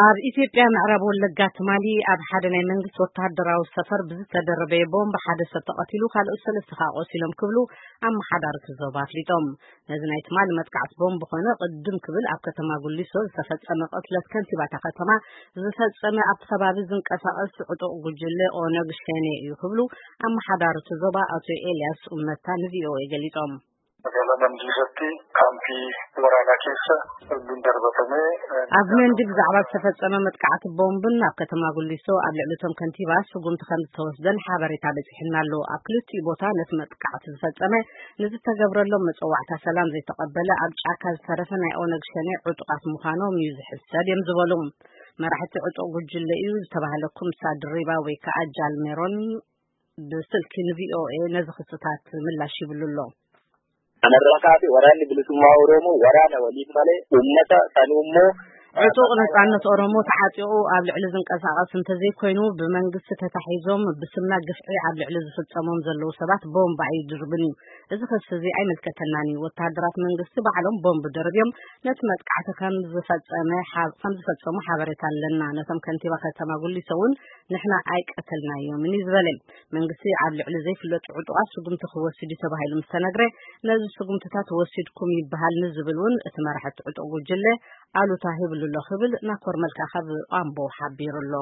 ኣብ ኢትዮጵያ ምዕራብ ወለጋ ትማሊ ኣብ ሓደ ናይ መንግስቲ ወታደራዊ ሰፈር ብዝተደረበ ቦምብ ሓደ ሰብ ተቐቲሉ፣ ካልኦት ሰለስተ ከኣ ቆሲሎም ክብሉ ኣመሓዳርቲ ዞባ ኣፍሊጦም። ነዚ ናይ ትማሊ መጥቃዕቲ ቦምብ ኮነ ቅድም ክብል ኣብ ከተማ ጉሊሶ ዝተፈጸመ ቅትለት ከንቲባታ ከተማ ዝፈጸመ ኣብቲ ከባቢ ዝንቀሳቐስ ዕጡቕ ጉጅለ ኦነግ ሸኔ እዩ ክብሉ ኣመሓዳርቲ ዞባ ኣቶ ኤልያስ ኡመታ ንቪኦኤ ገሊጾም። Magaalaa Mandii keessatti kaampii waraanaa keessa bombiin darbatame. ኣብ መንዲ ብዛዕባ ዝተፈጸመ መጥቃዕቲ ቦምብን ኣብ ከተማ ጉሊሶ ኣብ ልዕሊ እቶም ከንቲባ ስጉምቲ ከም ዝተወስደን ሓበሬታ በጺሕና ኣሎ። ኣብ ክልቲኡ ቦታ ነቲ መጥቃዕቲ ዝፈጸመ ንዝተገብረሎም መጸዋዕታ ሰላም ዘይተቐበለ ኣብ ጫካ ዝተረፈ ናይ ኦነግ ሸኔ ዕጡቓት ምዃኖም እዩ ዝሕሰብ እዮም ዝበሉ። መራሕቲ ዕጡቕ ጉጅለ እዩ ዝተባህለ ኩምሳ ድሪባ ወይ ከዓ ጃልሜሮን ብስልኪ ንቪኦኤ ነዚ ክስታት ምላሽ ይብሉ ኣሎ። Kanarraa waraanni bilisummaa Oromoo waraana waliin malee uummata sanuu immoo ዕጡቕ ነጻነት ኦሮሞ ተዓጢቑ ኣብ ልዕሊ ዝንቀሳቐስ እንተዘይኮይኑ ብመንግስቲ ተታሒዞም ብስምና ግፍዒ ኣብ ልዕሊ ዝፍጸሞም ዘለዉ ሰባት ቦምብ ኣይድርብን እዩ። እዚ ክሲ እዚ ኣይምልከተናን እዩ። ወተሃደራት መንግስቲ ባዕሎም ቦምብ ደርብዮም ነቲ መጥቃዕቲ ከም ዝፈጸመ ሓብ-፣ ከም ዝፈጸሙ ሓበሬታ ኣለና። ነቶም ከንቲባ ከተማ ጉሊሶ እውን ንሕና ኣይቀተልናዮምን እዩ ዝበለ። መንግስቲ ኣብ ልዕሊ ዘይፍለጡ ዕጡቓት ስጉምቲ ክወስድ እዩ ተባሂሉ ምስ ተነግረ፣ ነዚ ስጉምትታት ወሲድኩም ይበሃል ንዝብል እውን እቲ መራሕቲ ዕጡቕ ጉጅለ ኣሉታ ሂብሉ ኣሎ ክብል ናኮር መልካ ካብ ኣምቦ ሓቢሩ ኣሎ።